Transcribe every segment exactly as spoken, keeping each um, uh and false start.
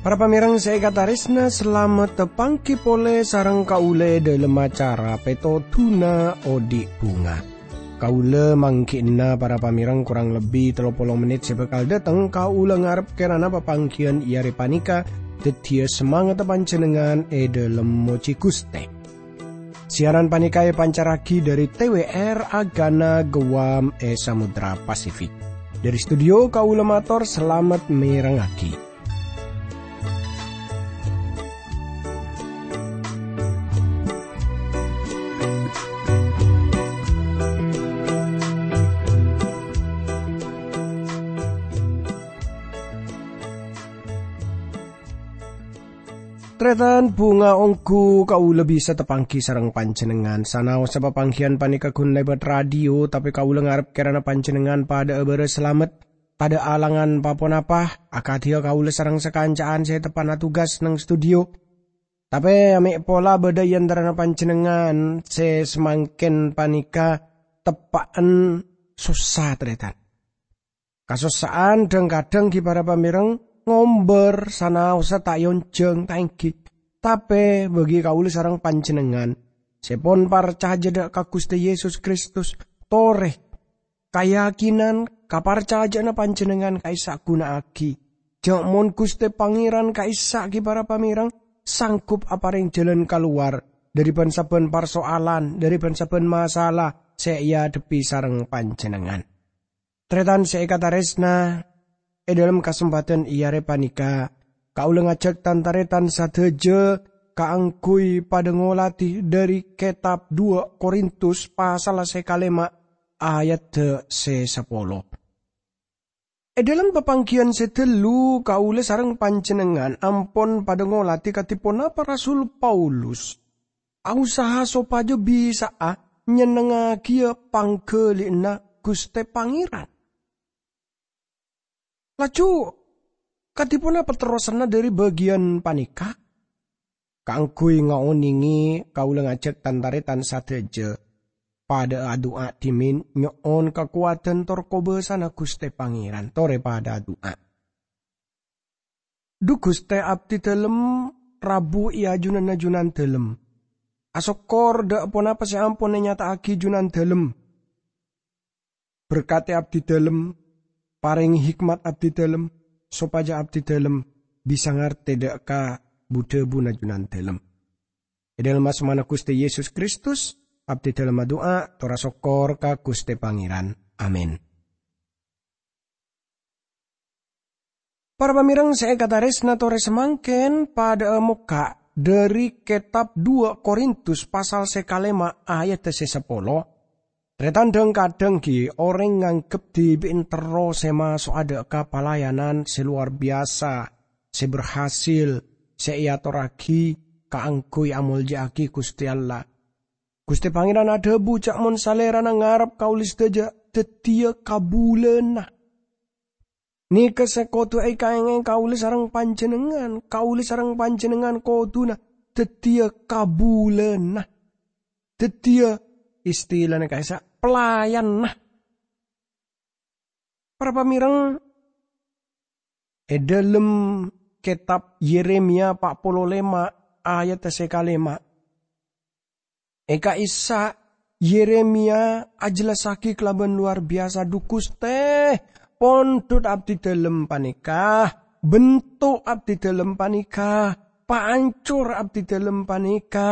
Para pamèrèng sè èkatarèsna, salamet tapangghi polè sareng kaulâ è dhâlem acara Pètodhuna Odi' Bhunga. Kaulâ mangghi'na para pamèrèng korang lebbi tello polo mennit sè bhâkal dâteng. Kaulâ ngarep kèrana papangghiyân è arè panèka dhâddhiyâ samangatta panjhennengngan è dhâlem mojhi Ghustè. Siaran panèka èpancarraghi dhâri T W R Agana Guam è Samudra Pasifik. Dhâri studio kaulâ mator salamet mèrengngaghi. Tarètan, bhunga ongghu kaulâ bisa tapangghi sareng panjhennengngan. Sanaossa papangghiyân panèka ghun lèbât radio, tapè kaulâ ngarep kèrana panjhennengngan padhâ'â bârâs salamet, tadhâ' alangan pa-ponapa, akadhiyâ kaulâ sareng sakanca'an sè teppa'na tugas neng studio. Tapè mè' pola bâdâ è antarana panjhennengngan sè samangkèn panèka teppa'en sossa, tarètan. Kasossa'an dhâng-kadhâng ghi' para pamèrèng ngombâr, sanaossa ta' èonjhâng, ta' ènggi. Tapè bâgi kaulâ sareng panjhennengngan sè pon parcajâ dhâ' ka Ghustè Yesus Kristus, torè kayakinan, kaparcajâ'ânna panjhennengngan ka'issa' ghuna'aghi. Jhâ' mon Ghustè Pangèran ka'issa' ghi' para pamèrèng sanggup aparèng jhâlân kalowar dhâri bân-sabbhân parsoalan, dhâri bân-sabbhân masalah sè èadhebbhi sareng panjhennengngan. Tarètan sè èkatarèsna, è dhâlem kasempadhân è arè panèka, kaulâ ngajhâk tan-tarètan sadhâjâ kaangghuy padhâ ngoladhi dhâri kètab duwâ' Korintus pasal sè kalèma' ayadda sè sapolo. È dhâlem papangghiyân sè ghâllu, kaulâ sareng panjhennengngan ampon padhâ ngoladhi kadhi ponapa Rasul Paulus ausaha sopajâ bisa'a nyennengngagiyâ pangghâli'ânna Ghustè Pangèran. Laju, kadhi ponapa terrosanna dhâri bâgiyân panèka? Kaangghuy ngaonèngè, kaulâ ngajhâk tan-tarètan sadhâjâ padhâ adu'a dhimèn nyo'on kakowadhân tor kobâsana Ghustè Pangèran. Torè padhâ adu'a. Dhu Ghustè, abdhi dhâlem rabu è ajunanna Junandhâlem. Asokkor dhâ' ponapa sè ampon ènyata'aghi Junandhâlem. Berkatè abdhi dhâlem, parèngè hikmat abdhi dhâlem, sopajâ abdhi dhâlem bisa ngartè dhâ' ka bu-dhâbuna Junandhâlem. È dhâlem asmana Ghustè Yesus Kristus, abdhi dhâlem adu'a, tor asokkor ka Ghustè Pangèran. Amin. Para pamèrèng sè èkatarèsna, torè samangkèn padhâ'â mokka' dhâri kètab duwâ' Korintus pasal sè kalèma' ayadda sè sapolo. Tarètan, dhâng-kadhâng ghi' orèng nganggep dhibi'en terro sè maso'a dhâ' ka palayanan sè lowar biyasa, sè berhasil, sè èatorraghi kaangghuy amolja'aghi Ghustè Allah. Ghustè Pangèran adhâbu jhâ' mon Salèrana ngarep kaulâ sadhâjâ dhâddhiyâ kabulâna. Nèka sè kodhu èkaèngè kaulâ sareng panjhennengngan. Kaulâ sareng panjhennengngan kodhuna dhâddhiyâ kabulâna. Dhâddhiyâ, istilana ka'issa', pelayanna. Para pamèrèng, è dhâlem kètab Yeremia pa' polo lèma' ayadda sè kalèma', è ka'issa' Yeremia ajhellassaghi kalabân lowar biyasa, "Dhu Ghustè, pondhut abdhi dhâlem panèka, bhento abdhi dhâlem panèka, paancor abdhi dhâlem panèka,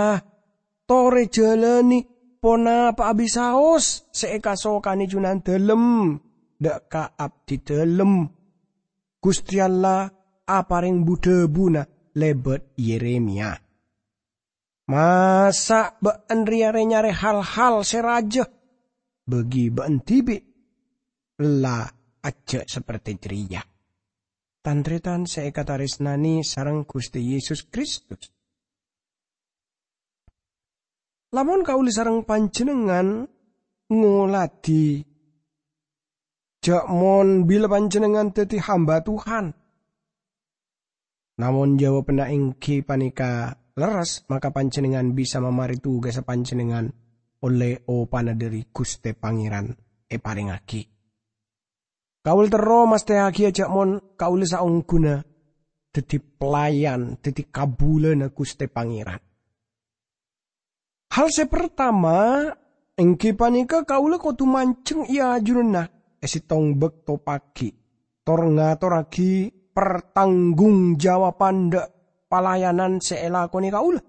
torè jhâlânè ponapa'a bisaos sè èkasokanè Junandhâlem dhâ' ka abdhi dhâlem." Ghustè Allah aparèng bu-dhâbuna lèbât Yeremia. "Masa' bâ'en rèya rè-nyarè hal-hal sè rajâ? Bâgi bâ'en dhibi' ella ajjhâ' saperte jârèya." Tan-tarètan sè èkatarèsnanè sareng Ghustè Yesus Kristus, lamon kaulâ sareng panjhennengngan ngoladhi, jhâ' mon bilâ panjhennengngan dhâddhi hamba Tuhan, Namong jawabanna èngghi panèka lerres, maka panjhennengngan bisa mamarè tugassa panjhennengngan ollè opana dhâri Ghustè Pangèran èparèngngaghi. Kaulâ terro mastèyaghiyâ jhâ' mon kaulâ saongghuna dhâddhi pelayan, dhâddhi kabulâna Ghustè Pangèran. Hal sè partama, èngghi panèka kaulâ kodhu manjheng è ajunanna è sèttong bâkto pagi', tor ngatorraghi partanggungjawabhân dhâ' palayanan sè èlakonè kaulâ.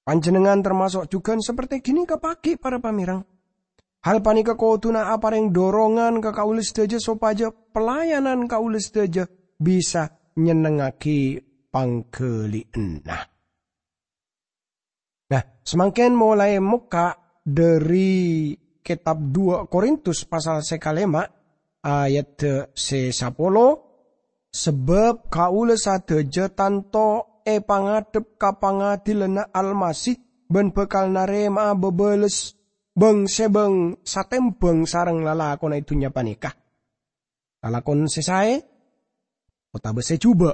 Panjhennengngan tamaso' jhughân sapertè ghânèka pagi', para pamèreng. Hal panèka kodhuna aparèng dorongan ka kaulâ sadhâjâ sopajâ pelayanan kaulâ sadhâjâ bisa nyennengngaghi pangghâli'ânna. Nah, samangkèn molaè mokka' dhâri kètab dua Korintus pasal sè kalèma', ayat sè sapolo, "Sabâb kaulâ sadhâjâ tanto èpangadhep ka pangadhilanna Almasih bân bhâkal narèma'a bâbâles bâng-sèbâng satèmbhâng sareng lalakonna è dhunnya panèka, lalakon sè saè otabâ sè jhubâ'."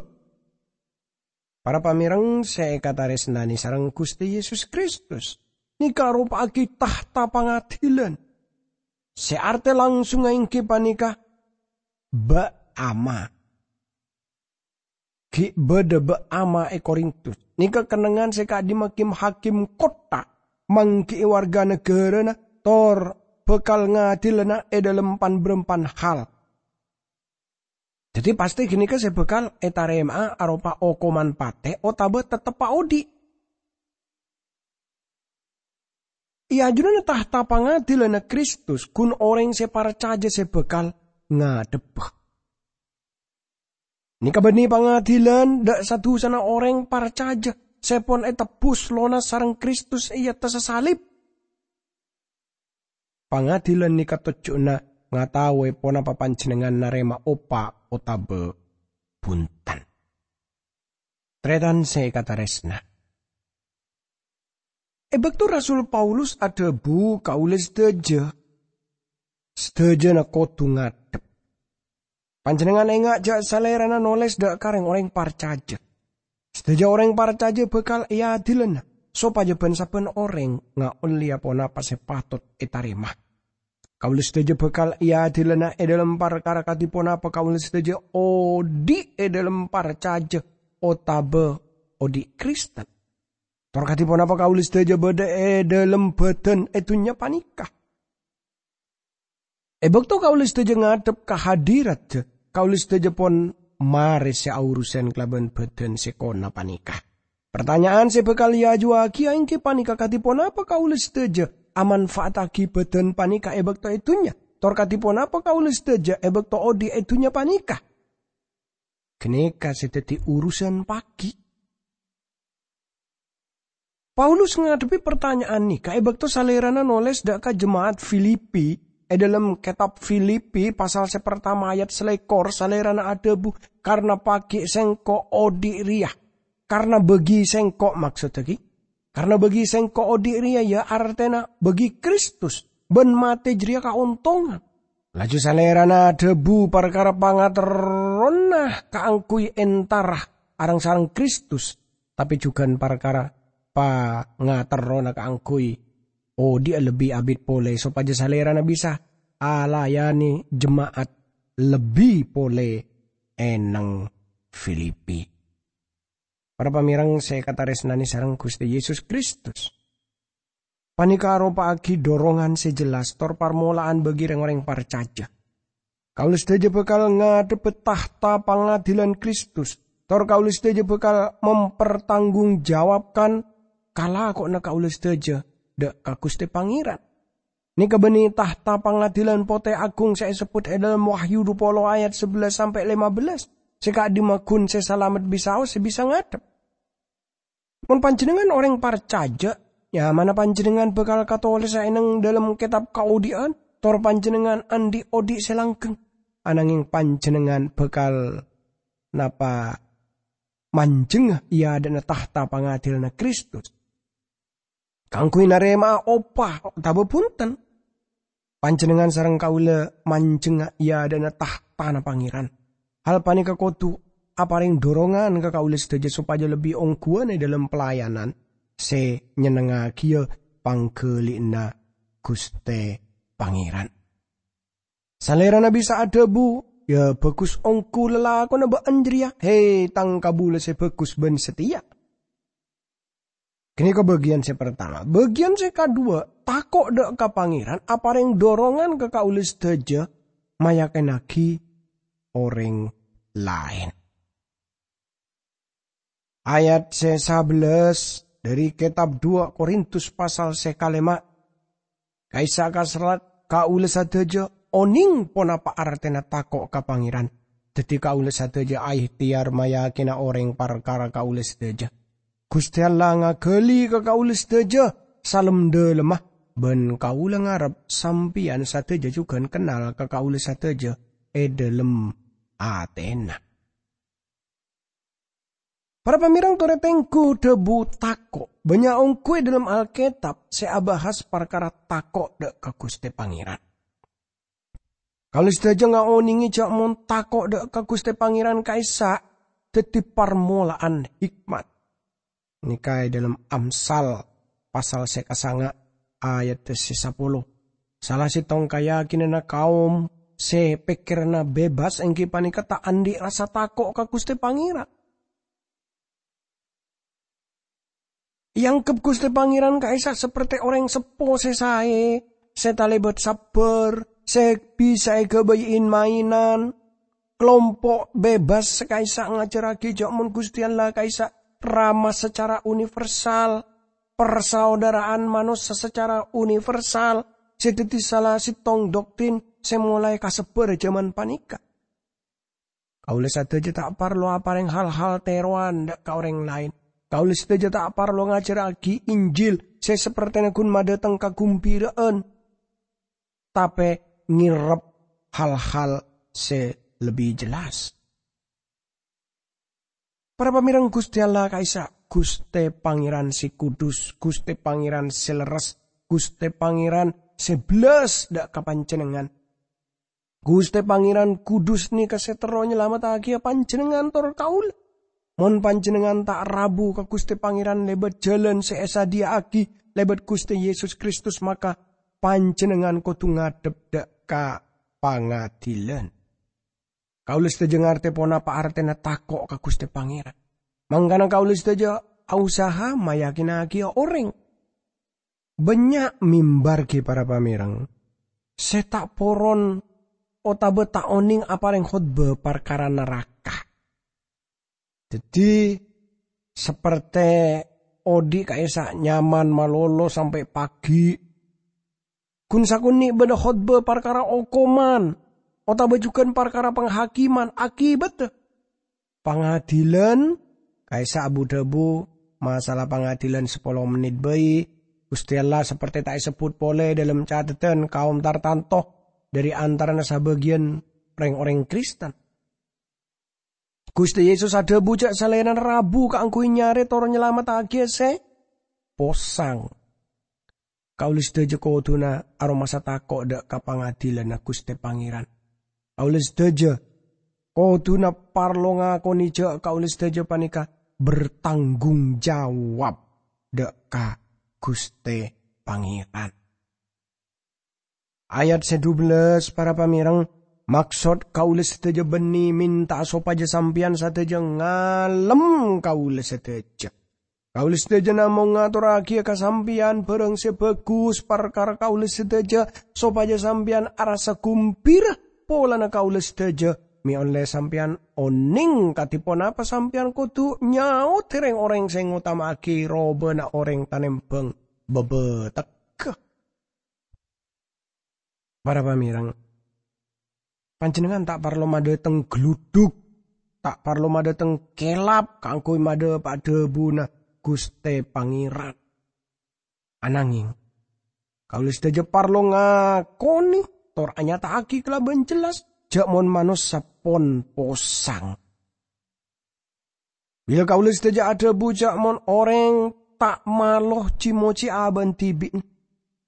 Para pamèreng sè èkatarèsnanè sareng Ghustè Yesus Kristus, nèka aropa'aghi tahta pangadhilan. Sè artè langsungnga èngghi panèka bâ' ama. Ghi' bâdâ bâ' ama è Korintus. Nèka kennengngan sè ka'dimma kim-hakim kottha, mangghi'i warga naghârâna, tor bhâkal ngadilana è dhâlem pan-bârâmpan hal. Dhâddhi, pastè ghânèka sè bhâkal ètarèma'a aropa okoman patè otabâ tetteppa odhi'. È ajunanna tahta pangadilanna Kristus, ghun orèng sè parcajâ sè bhâkal ngadhebbhâ. Nèka bânnè pangadilan dhâ' sa-dusana orèng parcajâ sè pon ètebbhus lonas sareng Kristus è attassa salib. Pangadilan nèka tojjhuna ngataowè ponapa panjhennengngan narèma opa otabâ bhunten. Tarètan sè èkatarèsna. È bâkto Rasul Paulus adhâbu, "Kaulâ sadhâjâ, sadhâjâna kodhu ngadhep." Panjhennengngan enga' jhâ' salèrana nolès dhâ' ka rèng-orèng parcajâ. Sadhâjâ orèng parcajâ bhâkal èadilana, sopajâ bân-sabbhân orèng ngaollèya ponapa sè patot ètarèma. Kaulâ sadhâjâ bhâkal èadilana è dhâlem parkara kadhi ponapa kaulâ sadhâjâ odhi' è dhâlem parcajâ otabâ odhi' Kristen. Tor kadhi ponapa kaulâ sadhâjâ bâdâ è dhâlem bhâdhân è dhunnya panèka. È bâkto kaulâ sadhâjâ ngadhep ka hadirat, kaulâ sadhâjâ pon marè sè aorusan kalabân bhâdhân sè kona panèka. Partanya'an sè bhâkal èajuwâghi èngghi panèka, kadhi ponapa kaulâ sadhâjâ amanfa'attaghi bhâdhân panèka è bâkto è dhunnya? Tor kadhi ponapa kaulâ sadhâjâ è bâkto odhi' è dhunnya panèka? Ghânèka sè dhâddhi urusan pagi. Paulus ngadhebbhi partanya'an nèka è bâkto salèrana nolès dhâ' ka jema'at Filipi. È dhâlem kètab Filipi pasal sè partama ayat salèkor, salèrana adhâbu, "Karna pagi' sèngko' odhi' rèya." Karna bâgi sèngko', maksoddhâ ghi? Karna bâgi sèngko' odhi' rèya, ya artèna bâgi Kristus, bân matè jârèya kaontongan. Laju salèrana adhâbu parkara pangaterrona kaangghuy entara areng-sareng Kristus, tapè jhughân parkara pangaterrona kaangghuy odhi'â lebbi abit polè, sopajâ salèrana bisa alayanè jema'at lebbi polè è neng Filipi. Para pamèreng sè èkatarèsnanè sareng Ghustè Yesus Kristus. Panèka aropa'aghi dorongan sè jelas tor parmola'an bâgi rèng-orèng parcajâ. Kaulâ sadhâjâ bhâkal ngadhebbhâ tahta pangadilan Kristus, tor kaulâ sadhâjâ bhâkal mempertanggungjawabkan kalakowanna kaulâ sadhâjâ dhâ' ka Ghustè Pangèran. Nèka bânnè tahta pangadilan potè aghung sè èsebbhut è dhâlem Wahyu dupolo ayat sabellâs sampè' lèma bellâs, sè ka'dimma ghun sè salamet bisaos sè bisa ngadhep. Mon panjhennengngan orèng parcajâ, nyamana panjhennengngan bhâkal katolèsa è neng dhâlem kètab kaodhi'ân, tor panjhennengngan andi' odhi' sè langgheng. Ananghèng panjhennengngan bhâkal napa manjhengnga è adâ'na tahta pangadilanna Kristus kaangghuy narèma'a opa otabâ bhunten. Panjhennengngan sareng kaulâ manjhengnga è adâ'na tahtana Pangèran. Hal panèka kodhu aparèng dorongan ka kaulâ sadhâjâ sopajâ lebbi ongghuwân è dhâlem pelayanan sè nyennengngaghiyâ pangghâli'ânna Ghustè Pangèran. Salèrana bisa adhâbu, "Yâ bhâghus ongghu lalakonna bâ'ân jârèya, hè, tang kabulâ sè bhâghus bân satèya." Ghânèka bâgiyân sè partama. Bâgiyân sè kaduwâ, tako' dhâ' ka Pangèran aparèng dorongan ka kaulâ sadhâjâ mayakènaghi orèng laèn. Ayat sè sabellâs dhâri kètab duwâ' Korintus pasal sè kalèma'. Ka'issa' kaserrat, kaulâ sadhâjâ onèng ponapa artèna tako' ka Pangèran. Dhâddhi kaulâ sadhâjâ aèhtèyar mayakèna orèng parkara kaulâ sadhâjâ. Ghustè Allah ngaghâli ka kaulâ sadhâjâ salem-dhâlemma, bân kaulâ ngarep sampèyan sadhâjâ jhughân kennal ka kaulâ sadhâjâ è dhâlem atèna. Para pamèreng torè tengghu dhâbu tako'. Bânnya' ongghu è dhâlem Alkètab sè abahas parkara tako' dhâ' ka Ghustè Pangèran. Kaulâ sadhâjâ ngaonèngè jâ' mon tako' dhâ' ka Ghustè Pangèran ka'issa' dhâddhi parmola'an hikmat. Nèka è dhâlem Amsal pasal sè kasanga' ayat sè sapolo. Sala sèttong kayakinanna kaum sè pèkkèranna bebas èngghi panèka ta' andi' rasa tako' ka Ghustè Pangèran. Èangghep Ghustè Pangèran ka'issa' sapertè orèng seppo sè saè, sè talèbât sabbhâr, sè bisa èghâbây in-maènan. Kalompo' bebas sè ka'issa' ngajhârraghi jâ' mon Ghustè Allah ka'issa' Rama sacara universal, parsaodârâ'ân manossa sacara universal, sè dhâddhi sala sèttong doktrin sè molaè kasebbhâr è jhâman panèka. Kaulâ sadhâjâ ta' parlo aparèng hal-hal tèrowan dhâ' ka orèng laèn. Kaulâ sadhâjâ ta' parlo ngajhârraghi Injil sè sapertèna ghun madhâteng kaghembira'an, tapè ngèrep hal-hal sè lebbi jelas. Para pamèreng Ghustè Allah ka'issa', Ghustè Pangèran sè kudus, Ghustè Pangèran sè lerres, Ghustè Pangèran sè bellas dhâ' ka panjhennengngan. Ghustè Pangèran kudus nèka sè terro nyalamettaghi panjhennengngan tor kaulâ. Mon panjhennengngan ta' rabu ka Ghustè Pangèran lèbât jhâlân sè èsadhiyâ'aghi lèbât Ghustè Yesus Kristus, maka panjhennengngan kodhu ngadhep dhâ' ka pangadilan. Kaulâ sadhâjâ ngartè ponapa artèna tako' ka Ghustè Pangèran. Mangkana kaulâ sadhâjâ ausaha mayakinnaghiyâ orèng. Bânnya' mimbar ghi para pamèreng sè ta' poron otabâ ta' onèng aparèng khotbah parkara naraka. Dhâddhi, sapertè odi' ka'issa' nyaman malolo sampè' pagi'. Ghun sakonè' bâdâ khotbah parkara okoman, otabâ jhughân parkara panghakiman, akibatta pangadilan, ka'issa' abu-dhâbu masalah pangadilan sapolo mennit bhâi. Ghustè Allah sapertè ta' èsebbhut polè dhâlem catetan kaum tartanto dhâri antarana sabâgiyân rèng-orèng Kristen. Ghustè Yesus adhâbu jâ' Salèrana rabu kaangghuy nyarè tor nyalamettaghi sè posang. Kaulâ sadhâjâ kodhuna aromasa tako' dhâ' ka pangadilanna Ghustè Pangèran. Kaulâ sadhâjâ kodhuna parlo ngakonè jâ' kaulâ sadhâjâ panèka bertanggung jawab dhâ' ka Ghustè Pangèran. Ayat sè dubellâs, para pamèreng, maksod kaulâ sadhâjâ bânnè mènta'a sopajâ sampèyan sadhâjâ ngalem kaulâ sadhâjâ. Kaulâ sadhâjâ namong ngatorraghiyâ ka sampèyan bhârâng sè bhâghus parkara kaulâ sadhâjâ, sopajâ sampèyan arassa ghumbira polana kaulâ sadhâjâ, mè' ollè sampèyan onèng kadhi ponapa sampèyan kodhu nyaodhi rèng-orèng sè ngotama'aghi robâna orèng tanembhâng bâbâtegghâ. Para pamèreng, panjhennengngan ta' parlo madhâteng gluduk, ta' parlo madhâteng kèlap kaangghuy madhâpa'a dhâbuna Ghustè Pangèran. Anangèng, kaulâ sadhâjâ parlo ngakonè tor anyata'aghi kalabân jelas jâ' mon manossa pon posang. Bilâ kaulâ sadhâjâ adhâbu jâ' mon orèng ta' malo ji-mojiyâ abâ'na dhibi'na,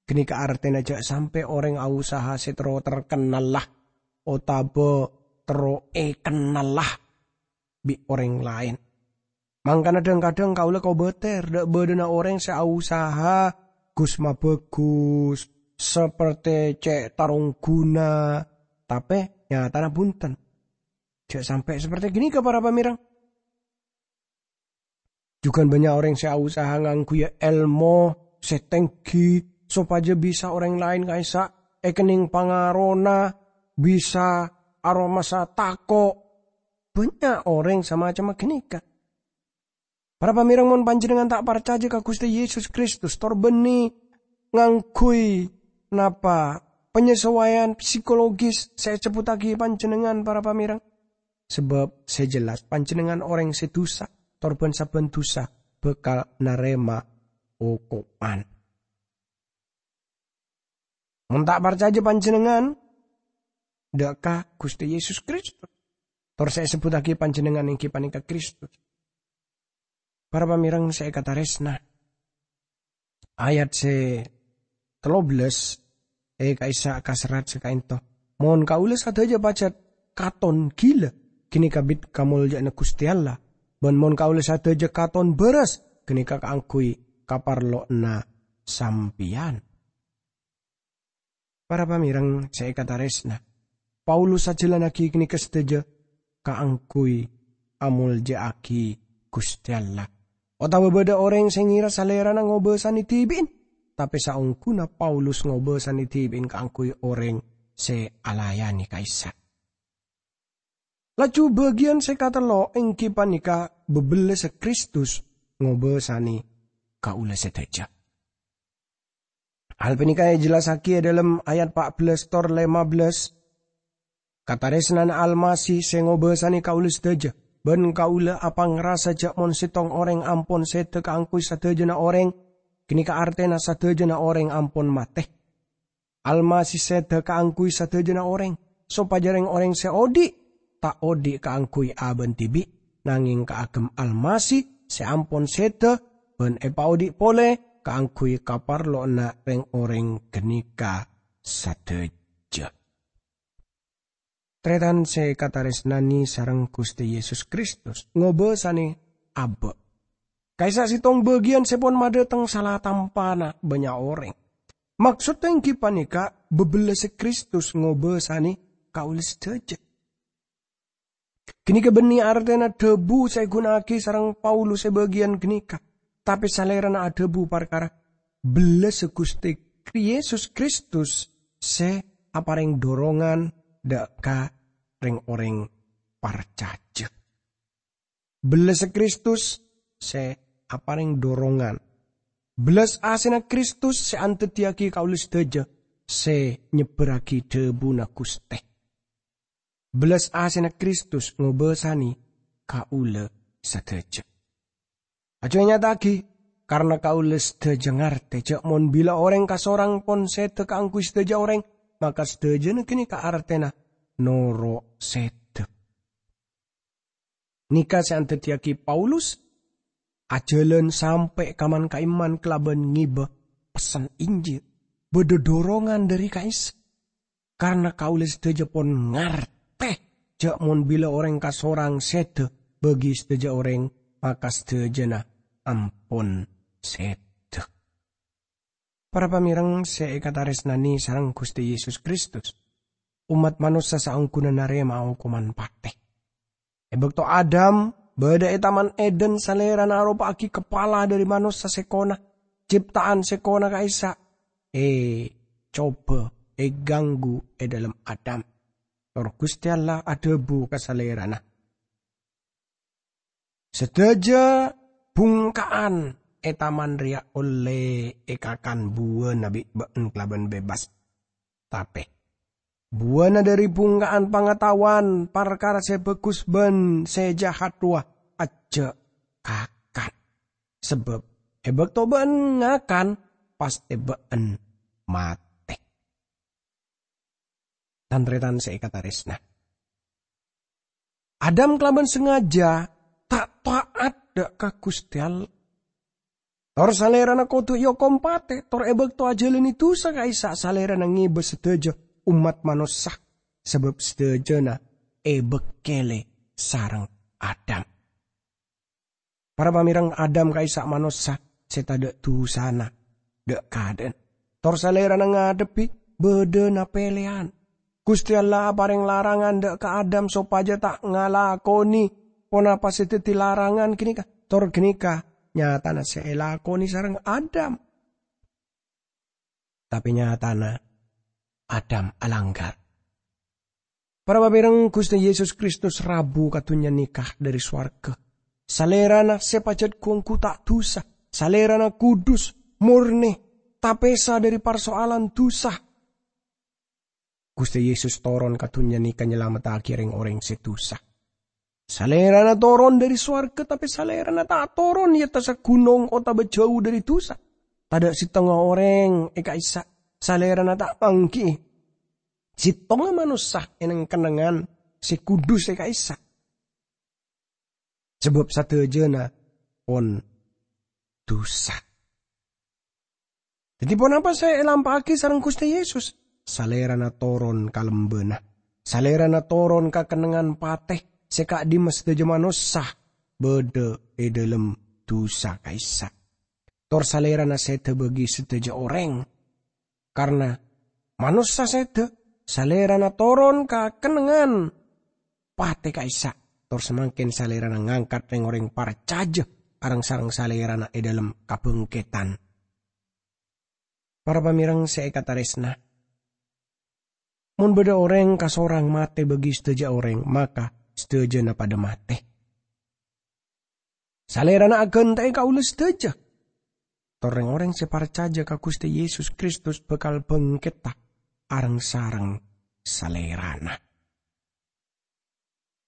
ghânèka artèna jâ' sampè' orèng ausaha sè terro terkennalla otabâ terro èkennalla. bi' orèng laèn. Mangkana dhâng-kadhâng kaulâ kobâtèr dâ' bâdâna orèng sè ausaha ghus-mabhâghus, saperte cè' tarongghuna, tapè nyatana bhunten. Jhâ' sampè' saperte ghânèka, para pamèreng. Jhughân bânnya' orèng sè ausaha ngangghuy èlmo sè tèngghi sopajâ bisa orèng laèn ka'issa' èkennèng pangarona, bisa aromasa tako'. Bânnya' orèng samacemma ghânèka. Para pamèreng, mon panjhennengngan ta' parcajâ ka Ghustè Yesus Kristus, tor bânnè ngangghuy napa panyasowaiyan psikologis sè èsebbhuttaghi panjhennengngan, para pamèreng? Sabâb sè jelas panjhennengngan orèng sè dhusa, tor bân-sabbhân dhusa bhâkal narèma okoman. Mon ta' parcajâ panjhennengngan dâ' ka Ghustè Yesus Kristus, tor sè èsebbhuttaghi panjhennengngan èngghi panèka Kristus. Para pamèreng sè èkatarèsna, ayat sè tello bellâs è ka'issa' kaserrat sè ka'ento, "Mon kaulâ sadhâjâ pajhât katon ghilâ, ghânèka bit kamoljâ'ânna Ghustè Allah, bân mon kaulâ sadhâjâ katon bârâs, ghânèka kaangghuy kaparlowanna sampèyan." Para pamèreng sè èkatarèsna, Paulus ajhâlânnaghi ghânèka sadhâjâ kaangghuy amoljâ'aghi Ghustè Allah. Otabâ bâdâ orèng sè ngèra salèrana ngobâsanè dhibi'en, tapè saongghuna Paulus ngobâsanè dhibi'en kaangghuy orèng sè alayanè ka'issa'. Laju bâgiyân sè katello' èngghi panèka bâbellâssa Kristus ngobâsanè kaulâ sadhâjâ. Hal panèka èjellassaghi è dhâlem ayat pa' bellâs tor lèma bellâs. Katarèsnana Almasih sè ngobâsanè kaulâ sadhâjâ, bân kaulâ apangrasa jâ' mon sèttong orèng ampon sèdhâ kaangghuy sadhâjâna orèng, ghânèka artèna sadhâjâna orèng ampon matè. Almasih sèdhâ kaangghuy sadhâjâna orèng, sopajâ rèng-orèng sè odi' ta' odi' kaangghuy abâ'na dhibi', nangèng kaagem Almasih sè ampon sèdhâ bân èpaodi' polè kaangghuy kaparlowanna rèng-orèng ghânèka sadhâjâ. Tarètan sè èkatarèsnanè sareng Ghustè Yesus Kristus ngobâsanè abâ'. Ka'issa' sèttong bâgiyân sè pon madhâteng sala tampana bânnya' orèng. Maksodda èngghi panèka bâbellâssa Kristus ngobâsanè kaulâ sadhâjâ. Ghânèka bânnè artèna dhâbu sè èghuna'aghi sareng Paulus è bâgiyân ghânèka, tapè salèrana adhâbu parkara bellâssa Ghustè Yesus Kristus sè aparèng dorongan dâ' ka rèng-orèng parcajâ. Bellâssa Kristus sè aparèng dorongan. Bellas asèna Kristus sè andhâddhiyâghi kaulâ sadhâjâ sè nyebbhârraghi dhâbuna Ghustè. Bellas asèna Kristus ngobâsanè kaulâ sadhâjâ. Ajuwâ nyata'aghi, karna kaulâ sadhâjâ ngartè jâ' mon bilâ orèng kasorang pon sèdhâ kaangghuy sadhâjâ orèng, maka sadhâjâna ghânèka artèna noro' sèdhâ. Nèka sè andhâddhiyâghi Paulus ajhâlân sampè' ka man-ka'imman kalabân ngèbâ pessen Injil. Bâdâ dorongan dhâri ka'issa'. Karna kaulâ sadhâjâ pon ngartè jâ' mon bilâ orèng kasorang sèdhâ bagi sadhâjâ orèng, maka sadhâjâna ampon sèdhâ. Para pamèreng sè èkatarèsnanè sareng Ghustè Yesus Kristus, ommat manossa saongghuna narèma'a okoman patè. È bâkto Adam bâdâ è Taman Eden, Salèrana aropa'aghi kapala dhâri manossa sèkona, cipta'an sèkona ka'issa', ècobâ, èghânggu è dhâlem Adam. Tor Ghustè Allah adhâbu ka Salèrana, "Sadhâjâ bhungka'an è taman rèya ollè èkakan buwâna bi' bâ'en kalabân bebas. Tapè buwâna dhâri bhungka'an pangataowan parkara sè bhâghus bân sè jahat rowa ajjhâ' kakan, sabâb è bâkto bâ'en ngakan, pastè bâ'en matè." Tan-tarètan sè èkatarèsna, Adam kalabân sangajâ ta' ta'at dâ' ka Ghustè Allah. Tor Salèrana kodhu èokom patè, tor è bâkto ajhâlânè dhusa ka'issa' Salèrana ngèbâ sadhâjâ ommat manossa, sabâb sadhâjâna èbâkkèlè sareng Adam. Para pamèrèng, Adam ka'issa' manossa sè tadâ' dusana dâ' kaadâ'ân. Tor salèrana ngadhebbhi bâdâna pèlèyan. Ghustè Allah aparèng larangan dâ' ka Adam sopajâ ta' ngalakonè ponapa sè dhâddhi larangan ghânèka. Tor ghânèka nyatana sè èlakonè sareng Adam. Tapè nyatana Adam alangghâr. Para pamèrèng, Ghustè Yesus Kristus rabu ka dhunnya nèka dâri sowarghâ. Salèrana sè pajhât ghu-ongghu ta' dusa. Salèrana kudus, mornè, tapèsa dâri parsoalan dusa. Ghustè Yesus toron ka dhunnya nèka nyalamettaghi rèng-orèng sè dusa. Salèrana toron dâri sowarghâ, tapè Salèrana ta' toron è attassa ghunong otabâ jhâu dâri dusa. Tadâ' sèttonga orèng è ka'issa' Salèrana ta' mangghi'i. Sèttonga manossa è neng-kennengngan sè kudus è ka'issa'. Sabâb sadhâjâna pon dusa. Dhâddhi, ponapa sè èlampa'aghi sareng Ghustè Yesus? Salèrana toron ka lembâna. Salèrana toron ka kennengngan patè sè ka'dimma sadhâjâ manossa bâdâ è dhâlem dusa ka'issa'. Tor Salèrana sèdhâ bâgi sadhâjâ orèng. Karna manossa sèdhâ, Salèrana toron ka kennengngan patè ka'issa'. Tor samangkèn Salèrana ngangkat rèng-orèng parcajâ areng-sareng Salèrana è dhâlem kabhângkèdhân. Para pamèrèng sè èkatarèsna, mon bâdâ orèng kasorang matè bâgi sadhâjâ orèng, maka sadhâjâna padâ matè. Salèrana aghântè'è kaulâ sadhâjâ. Tor rèng-orèng sè parcajâ ka Ghustè Yesus Kristus bhâkal bhângkètta areng-sareng Salèrana.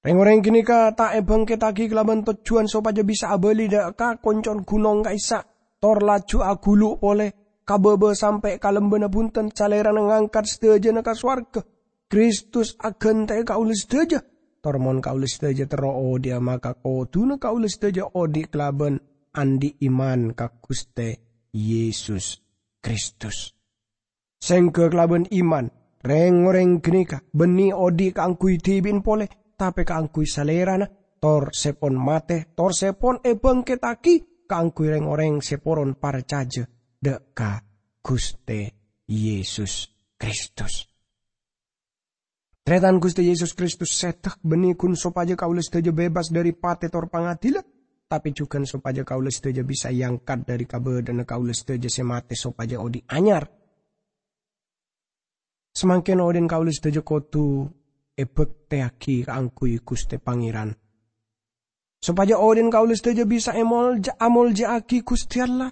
Rèng-orèng ghânèka ta' èbhângkèttaghi kalabân tojjhuwân sopajâ bisa abâli dâ' ka konco'na ghunong ka'issa', tor laju aghulu' polè ka bâbâ sampè' ka lembâna bhunten. Salèrana ngangkat sadhâjâna ka sowarghâ. Kristus aghântè'è kaulâ sadhâjâ. Tor mon kaulâ sadhâjâ terro odhi'a, maka kodhuna kaulâ sadhâjâ odhi' kalabân andi' iman ka Ghustè Yesus Kristus. Sèngghâ kalabân iman, rèng-orèng ghânèka bânnè odhi' kaangghuy dhibi'na polè, tapè kaangghuy Salèrana, tor sè pon matè, tor sè pon èbhângkèttaghi kaangghuy rèng-orèng sè poron parcajâ dâ' ka Ghustè Yesus Kristus. Tarètan, Ghustè Yesus Kristus sèdhâ bânnè ghun sopajâ kaulâ sadhâjâ bebas dâri patè tor pangadilân, tapè jhughân sopajâ kaulâ sadhâjâ bisa èangkat dâri kabâdâ'ânna kaulâ sadhâjâ sè matè sopajâ odhi' anyar. Samangkèn odhi'na kaulâ sadhâjâ kodhu èbhâktèyaghi kaangghuy Ghustè Pangèran. Sopajâ odhi'na kaulâ sadhâjâ bisa èmolja-, amolja'aghi Ghustè Allah.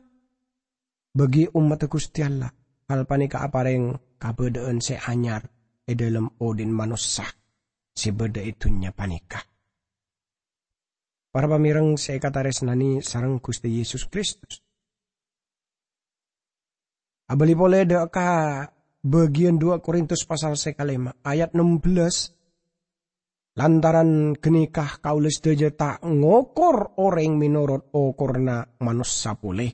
Bâgi ommaddhâ Ghustè Allah, hal panèka aparèng kabâdâ'ân sè anyar è dhâlem odhi'na manossa sè bâdâ è dhunnya panèka. Para pamèrèng sè èkatarèsnanè sareng Ghustè Yesus Kristus. Abâli polè dâ' ka bâgiyân dua Korintus pasal sè kalèma, ayat ennem belas, "Lantaran ghânèka kaulâ sadhâjâ ta' ngokor orèng mènorot okorna manossa polè.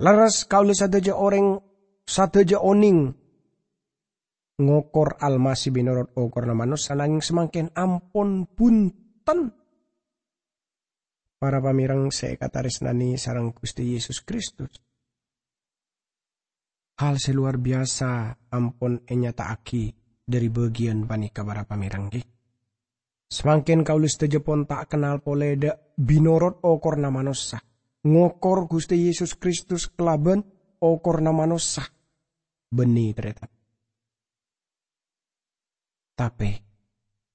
Lerres kaulâ sadhâjâ orèng, sadhâjâ onèng ngokor Almasih mènorot okorna manossa, nangèng samangkèn ampon bhunten." Para pamèrèng sè èkatarèsnanè sareng Ghustè Yesus Kristus. Hal sè lowar biyasa ampon ènyata'aghi dâri bâgiyân panèka, para pamèrèng, ghi. Samangkèn kaulâ sadhâjâ pon ta' kennal polè dâ' mènorot okorna manossa, ngokor Ghustè Yesus Kristus kalabân okorna manossa. Bânnè, tarètan. Tapè,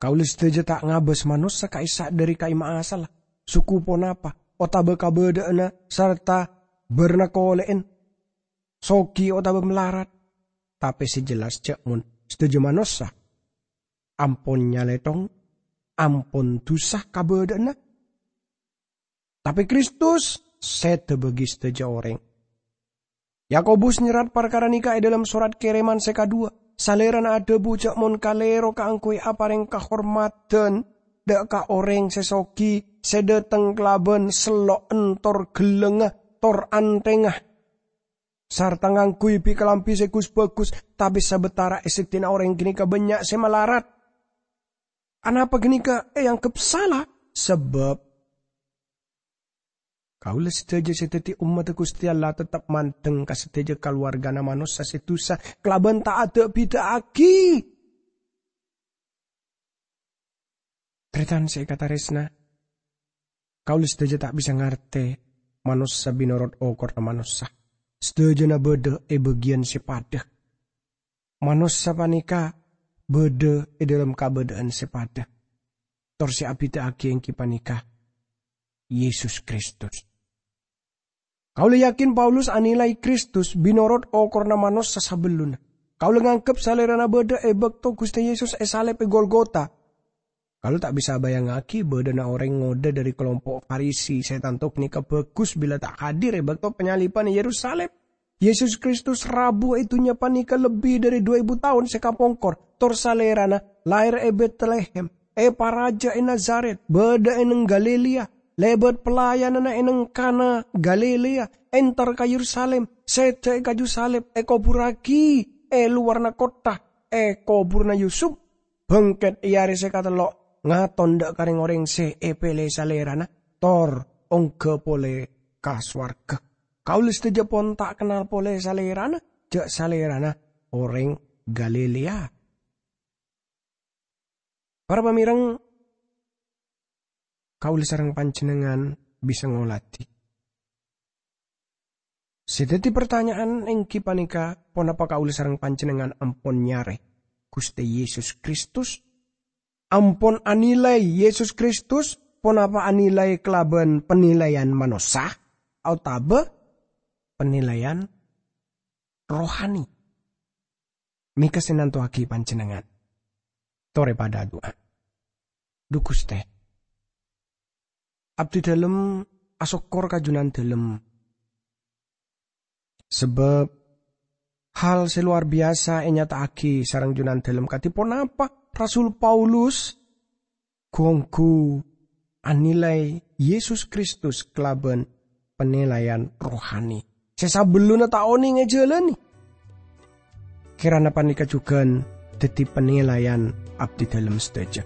kaulâ sadhâjâ ta' ngabâs manossa ka'issa' dâri ka'imma asalla, suku ponapa, otabâ kabâdâ'ânna, sarta bârna kolè'en, soghi otabâ malarat. Tapè sè jelas jhâ' mon sadhâjâ manossa ampon nyalèthong, ampon dusa kabâdâ'ânna. Tapè Kristus sèdhâ bâgi sadhâjâ orèng. Yakobus nyerrat parkara nèka è dhâlem sorat kèrèman sè kadhuwâ. Salèrana adhâbu jhâ' mon kalèro kaangghuy aparèng kahormadhân dâ' ka orèng sè soghi, sè dâteng kalabân sello'en tor ghellângnga tor anthèngnga, sarta ngangghuy bi-, kalambhi sè gus-bhâgus, tapè sabâtara è seddi'na orèng ghânèka bânnya' sè malarat. Anapa ghânèka èangghep sala? Sabâb kaulâ sadhâjâ sè dhâddhi ommaddhâ Ghustè Allah tettep mandeng ka sadhâjâ kalowarghâna manossa sè dhusa kalabân ta' ada'-bida'aghi. Tarètan sè èkatarèsna, kaulâ sadhâjâ ta' bisa ngartè manossa bhinorot okorra manossa. Sadhâjâna bâdâ è bâgiyân sè padâ. Manossa panèka bâdâ è dhâlem kabâdâ'ân sè padâ. Tor sè abhidhâ'aghi èngghi panèka Yesus Kristus. Kaulâ yakin Paulus anilai Kristus bhinorot okorra manossa sabellunna. Kaulâ nganggep Salèrana bâdâ è bâkto Ghustè Yesus èsalèb è Golgota. Kaulâ ta' bisa abayangngaghi bâdâna orèng ngodâ dhâri kalompo' Farisi sè tanto ghânèka bhâghus bilâ ta' hadir è bâkto panyaliban è Yerusalim. Yesus Kristus rabu è dhunnya panèka lebbi dhâri du èbu taon sè kapongkor, tor Salèrana laèr è Betlehem, èparajâ è Nazaret, bâdâ è neng Galilea, lèbât pelayananna è neng Kana Galilea, entar ka Yerusalim, sèdhâ è kaju salib, èkoburraghi è lowarra kottha, è koburra Yusup. Bângkèt è arè sè katello', ngaton dâ' ka rèng-orèng sè èpèlè Salèrana, tor ongghâ polè ka sowarghâ. Kaulâ sadhâjâ pon ta' kennal polè Salèrana, jâ' Salèrana orèng Galilea. Para pamèrèng, kaulâ sareng panjhennengngan bisa ngoladhi. Sè dhâddhi partanya'an èngghi panèka, ponapa kaulâ sareng panjhennengngan ampon nyarè Ghustè Yesus Kristus? Ampon anilai Yesus Kristus, ponapa anilai kalabân panilaian manossa otabâ panilaian rohani? Mèka sè nantowaghi panjhennengngan. Torè padâ adu'a. Dhu Ghustè, abdhidhâlem asokkor ka Junandhâlem. Sabâb hal sè lowar biyasa ènyata'aghi sareng Junandhâlem kadhi ponapa Rasul Paulus ghu-ongghu anilai Yesus Kristus kalabân panilaian rohani sè sabellunna ta' onèng èjhâlâni. Kèrana panèka jhughân dhâddhi panilaian abdhidhâlem sadhâjâ.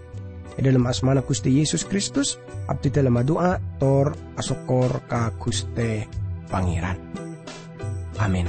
È dhâlem asmana Ghustè Yesus Kristus, abdhidhâlem adu'a tor asokkor ka Ghustè Pangèran. Amin.